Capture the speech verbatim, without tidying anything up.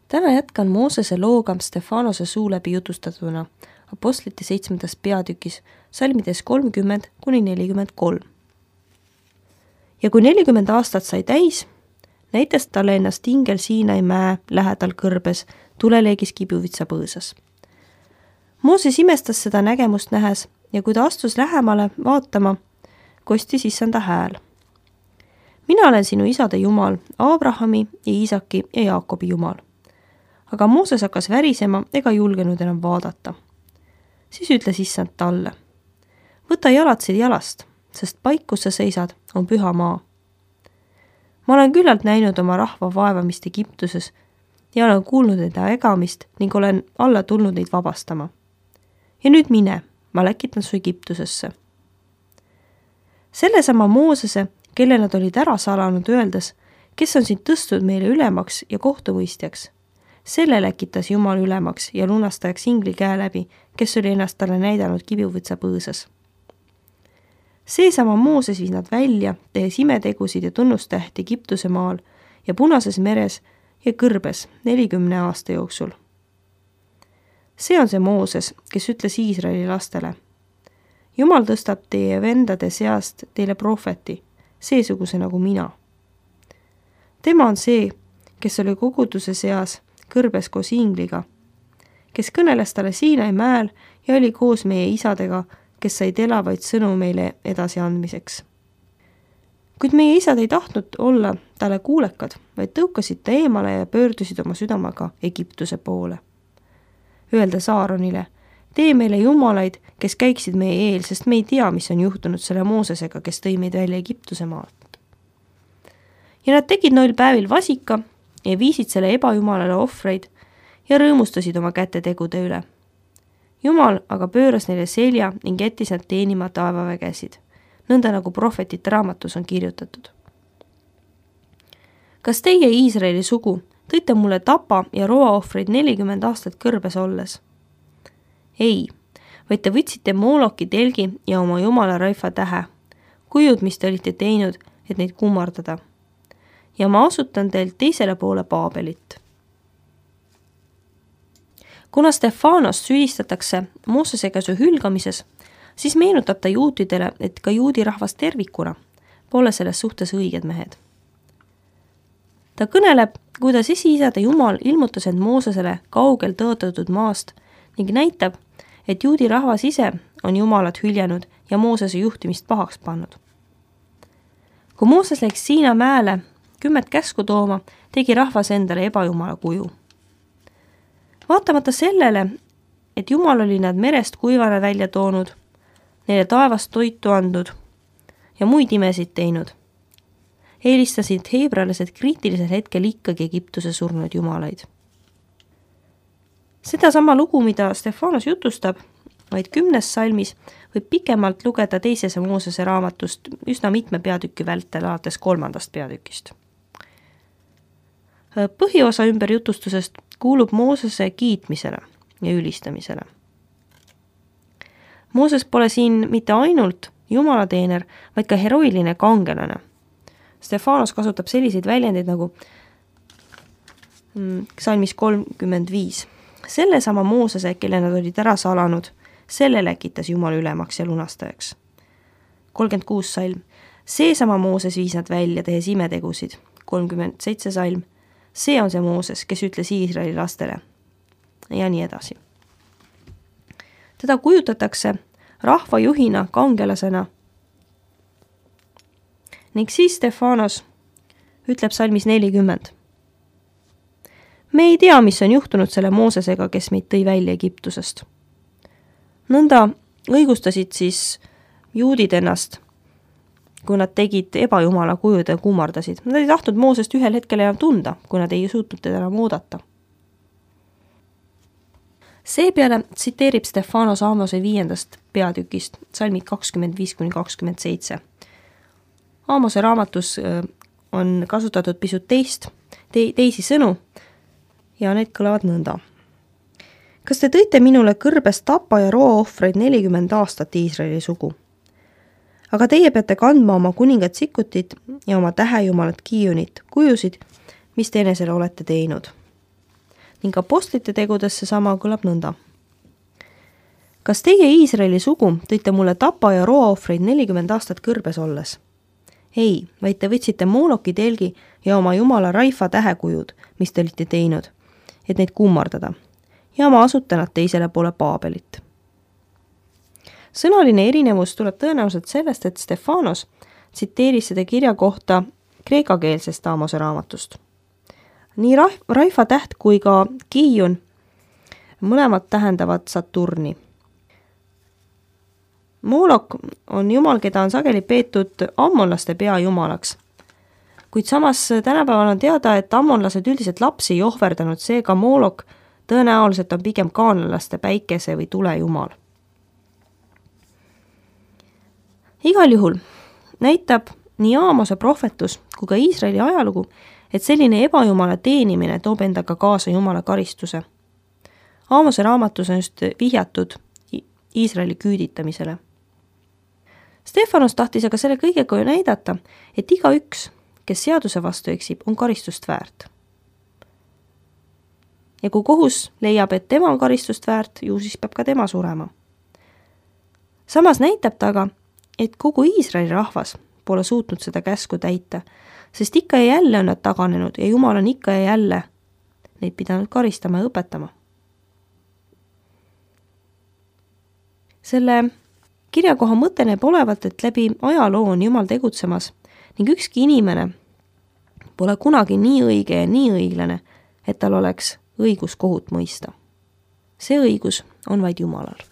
Täna jätkan Moosese looga Stefanose suu läbi jutustatuna Apostlite seitsmendas peatükis, salmides kolmkümmend kuni nelikümmend kolm. Ja kui nelikümmend aastat sai täis, näitas talle ennast ingel Siinai mäe lähedal kõrbes tuleleegis kibuvitsa põõsas. Mooses imestas seda nägemust nähes ja kui ta astus lähemale vaatama, kostis issanda hääl. Mina olen sinu isade Jumal, Abrahami ja Iisaki ja Jaakobi Jumal. Aga Mooses hakkas värisema ega julgenud enam vaadata. Siis ütles issand talle: võta jalatsid jalast, sest paik, kus sa seisad, on püha maa. Ma olen küllalt näinud oma rahva vaevamist Egiptuses ja olen kuulnud enda ägamist ning olen alla tulnud neid vabastama. Ja nüüd mine, ma läkitan su Egiptusesse. Sellesama Moosese, kelle nad olid ära salanud, öeldes, kes on sind tõstnud meile ülemaks ja kohtumõistjaks. Selle läkitas Jumal ülemaks ja lunastajaks ingli käe läbi, kes oli ennast talle näidanud kibuvitsa põõsas. Seesama Mooses viis nad välja, tehes imetegusid ja tunnustähti Egiptuse maal ja Punases meres ja kõrbes nelikümne aasta jooksul. See on see Mooses, kes ütles Iisraeli lastele: Jumal tõstab teie vendade seast teile prohveti, seesuguse nagu mina. Tema on see, kes oli koguduse seas kõrbes koos ingliga, kes kõneles talle Siinai mäel ja oli koos meie isadega, kes said elavaid sõnu meile edasi andmiseks. Kuid meie isad ei tahtnud olla talle kuulekad, vaid tõukasid ta eemale ja pöördusid oma südamaga Egiptuse poole. Öeldes Aaronile: tee meile jumalaid, kes käiksid meie eel, sest me ei tea, mis on juhtunud selle Moosesega, kes tõi meid välja Egiptuse maalt. Ja nad tegid noil päevil vasika ja viisid selle ebajumalale ohvreid ja rõõmustasid oma kätetegude üle. Jumal aga pööras neile selja ning jättis nad teenima taevavägesid, nõnda nagu prohvetite raamatus on kirjutatud. Kas teie Iisraeli sugu tõite mulle tapa ja roaohvreid nelikümmend aastat kõrbes olles? Ei, vaid te võtsite Mooloki telgi ja oma jumala Raifa tähe, kujud, mis te olite teinud, et neid kummardada. Ja ma asutan teilt teisele poole Paabelit. Kuna Stefanost süüdistatakse Moosese käsu hülgamises, siis meenutab ta juutidele, et ka juudi rahvas tervikuna pole selles suhtes õiged mehed. Ta kõneleb, kuidas esiisade Jumal ilmutas end Moosesele kaugel tõotatud maast ning näitab, et juudi rahvas ise on Jumalat hüljanud ja Moosese juhtimist pahaks pannud. Kui Mooses läks Siina mäele kümmet käsku tooma, tegi rahvas endale ebajumala kuju. Vaatamata sellele, et Jumal oli nad merest kuivana välja toonud, neile taevast toitu andnud ja muid imesid teinud, eelistasid heebrealased kriitilisel hetkel ikkagi Egiptuse surnud jumalaid. Seda sama lugu, mida Stefanos jutustab, vaid kümnes salmis võib pikemalt lugeda teisese Moosese raamatust üsna mitme peatüki vältel alates kolmandast peatükist. Põhiosa ümberjutustusest kuulub Moosese kiitmisele ja ülistamisele. Mooses pole siin mitte ainult jumalateener, vaid ka heroiline kangelane. Stefanos kasutab selliseid väljendeid nagu salmis kolmkümmend viis. Selle sama Moosese, kelle nad olid ära salanud, selle läkitas Jumal ülemaks ja lunastajaks. kolmkümmend kuus salm. See sama Mooses viis nad välja, tehes imetegusid. kolmkümmend seitse salm. See on see Mooses, kes ütles Iisraeli lastele. Ja nii edasi. Teda kujutatakse rahvajuhina, kangelasena. Ning siis Stefanos ütleb salmis nelikümmend. Me ei tea, mis on juhtunud selle Moosesega, kes meid tõi välja Egiptusest. Nõnda õigustasid siis juudid ennast, kui nad tegid ebajumala kujud ja kummardasid. Nad ei tahtnud Moosest ühel hetkel enam tunda, kui nad ei suutnud teda enam oodata. Seepeale tsiteerib Stefanos Aamose viiendast peatükist, salmid kakskümmend viis kuni kakskümmend seitse. Aamose raamatus on kasutatud pisut teist, te, teisi sõnu ja need kõlavad nõnda. Kas te tõite minule kõrbes tapa ja roaohvreid nelikümmend aastat Iisraeli sugu? Aga teie peate kandma oma kuningat Sikutit ja oma tähejumalat Kiionit, kujusid, mis te enesele olete teinud. ning apostlite tegudesse sama kõlab nõnda. Kas teie Iisraeli sugu tõite mulle tapa ja roaohvreid nelikümmend aastat kõrbes olles? Ei, vaid te võtsite Mooloki telgi ja oma jumala Raifa tähekujud, mis te olite teinud, et neid kummardada, ja ma asutan nad teisele poole Paabelit. Sõnaline erinevus tuleb tõenäoliselt sellest, et Stefanos tsiteeris seda kirja kohta kreekakeelsest Aamose raamatust. Nii Raifa täht kui ka Kiion mõlemad tähendavad Saturni. Moolok on jumal, keda on sageli peetud ammonlaste peajumalaks, kuid samas tänapäeval on teada, et ammonlased üldiselt lapsi ei ohverdanud, seega Moolok tõenäoliselt on pigem kaanlaste päikese või tule jumal. Igal juhul näitab nii Aamose prohvetus kui ka Iisraeli ajalugu, et selline ebajumala teenimine toob endaga kaasa jumala karistuse. Aamose raamatus on just vihjatud Iisraeli küüditamisele. Stefanos tahtis aga selle kõigega näidata, et iga üks, kes seaduse vastu eksib, on karistust väärt. Ja kui kohus leiab, et tema on karistust väärt, ju siis peab ka tema surema. Samas näitab ta aga, et kogu Iisraeli rahvas pole suutnud seda käsku täita, sest ikka ja jälle on nad taganenud ja Jumal on ikka ja jälle neid pidanud karistama ja õpetama. Selle kirjakoha mõte näeb olevat, et läbi ajaloo on Jumal tegutsemas ning ükski inimene pole kunagi nii õige ja nii õiglane, et tal oleks õigus kohut mõista. See õigus on vaid Jumalal.